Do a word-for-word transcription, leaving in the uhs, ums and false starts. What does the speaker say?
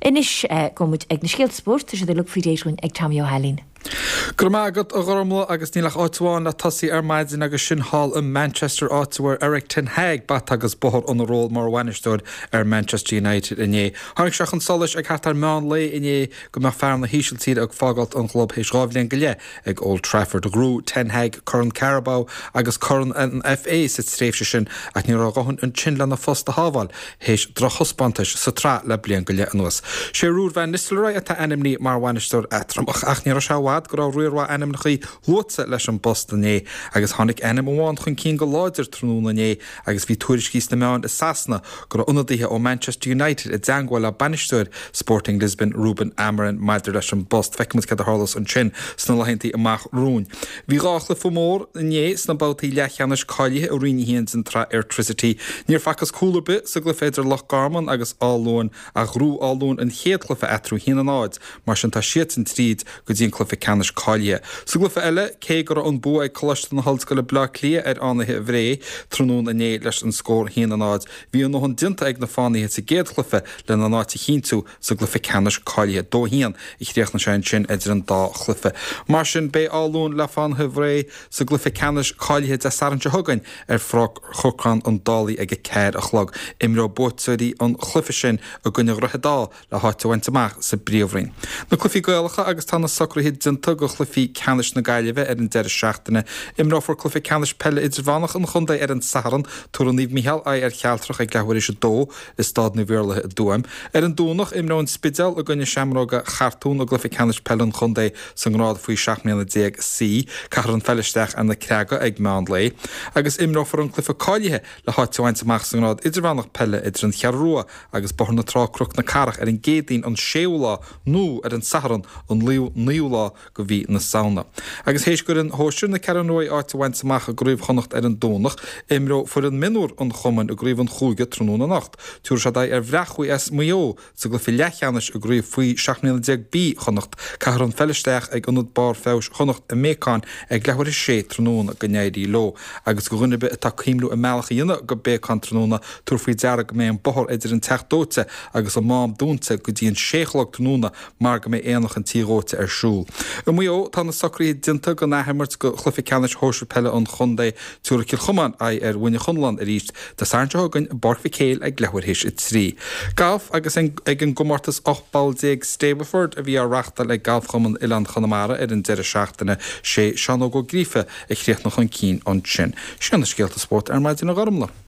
Anois gabhfaidh muid ag na scéalta spóirt, tá siad uilig faoi réir againn ag Tommy Ó hAilín. Go raibh maith agat a Ghormlaith agus níl ach áit amháin le tosaí ar maidin agus sin thall i Manchester áit a bhfuair Erik ten Hag bata agus bóthar ina ról mar bhainisteoir ar Manchester United inné. Tháinig sé chun solais ag thart ar meán lae inné go mbeadh fear na hÍsiltíre ag fágáilt an chlub théis dhá bhliain go leith ag Old Trafford. Ghnóthaigh ten Hag Corn Carabao agus Corn an FA sa tréimhse sin ach ní raibh a dhóthain ansin lena phost a shábháil théis drochthaispeántais sa tsraith le bliain go leith anuas. Sé Ruud van Nistelrooy atá ainmnithe mar bhainisteoir eatramhach ach ní raibh sé i bhfad go raibh riar mhaith ainmneacha luaite leis an bpost inné agus tháinig ainm amháin chun cinn go láidir tráthnóna inné agus bhí tuairiscí sna meáin i Sasana go raibh ionadaithe ó Manchester United i dteagmháil le bainisteoir Sporting Lisbon Ruben Amorim maidir leis an bpost. Feicfimid cad a tharlós ansin sna laethanta amach romhainn. Bhí dhá chluiche mór inné sna babhtaí leathcheannais cáilithe i Roinn a haon den tsraith Airtricity. Níor facthas cúl ar bith sa gcluiche idir Loch Garman agus Áth Luain ach ghnóthaigh Áth Luain an chéad chluiche eatarthu a haon a náid, mar sin tá siadsan tríd go dtí an cluiche ceannais cáilithe. Sa gcluiche eile, cé go raibh an bua ag Coláiste na hOllscoile Bleá Cliath ar Fhánaithe Bhré tráthnóna inné leis an scór a haon a náid, bhí a ndóthain déanta ag na Fánaithe sa gcéad chluiche lena n-áit a chinntiú sa gcluiche ceannais cáilithe. Dó a haon a chríochnaigh sé ansin idir an dá chluiche. Mar sin, beidh Áth Luain le Fánaithe Bhré sa gcluiche ceannais cáilithe Dé Sathairn seo chugainn ar Pháirc Chorcán an Dálaigh ag a ceathair a chlog. Imreoidh buaiteoirí an chluiche sin i gcoinne Dhroichead Átha le háit a bhaint amach sa bPríomhroinn. Na cluichí Gaelacha agus tá na socruithe déanta do chluichí ceannais na Gaillimhe ar an deireadh seachtaine. Imreofar cluiche ceannais peile idirmheánach an chontae ar an Satharn, tabharfaidh Naomh Micheál aghaidh ar Chealtrach ag leathuair théis a dó i Staid Naomh Iarlaithe i dTuaim. Ar an Domhnach, imreoidh an Spidéal i gcoinne Seamróga Chartún i gcluiche ceannais peile an chontae sa ngrád faoi seacht mbliana déag C. Caithfear an pheil isteach ar na Creaga ag meán lae agus imreofar an cluiche cáilithe le háit a bhaint amach sa ngrád idirmheánach peile idir an Cheathrú Rua agus Bóthar na Trá Cnoc na Cathrach ar an gCéadaoin an séú lá nó ar an Satharn an naoú lá de mhí na Samhna. Agus théis d'fhoireann shóisir na Ceathrún Rua áit a bhaint amach i gCraobh Chonnacht ar an Domhnach, imreoidh foireann mionúr an chumainn i gCraobh an Chúige tráthnóna anocht. Tabharfaidh siad aghaidh ar Bhreac as Maigh Eo sa gcluiche leathcheannais i gCraobh faoi seacht mbliana déag B Chonnacht. Caithfear an pheil isteach ag Ionad Barr Feabhais Chonnacht i mBéacán ag leathuair théis a sé tráthnóna. Go n-éirí leo. Agus do dhuine ar bith atá ag cuimhniú a mbealach a dhéanamh go Béacán tráthnóna, tabhair faoi deara go mbeidh an bóthar idir an Teach Dóite agus an Mám dúnta go dtí an sé a chlog tráthnóna mar go mbeidh Aonach an Tí Dhóite ar siúl. I Maigh Eo, tá na socruithe déanta don athimirt do chluiche ceannais shóisir peile an chontae. Tabharfaidh Cill Chomáin aghaidh ar Mhuine Chonlán arís Dé Sathairn seo chugainn i bPáirc Mhic Éil ag leathuair théis a trí. Galf agus ag an gcomórtas ocht bpoll déag Stableford a bhí á reáchtáil ag Galfchumann Oileán Chonamara ar an deireadh seachtaine, sé Seán Óg Ó Gríofa a chríochnaigh chun cinn ansin. Sin na scéalta spóirt ar maidin a Ghormlaith.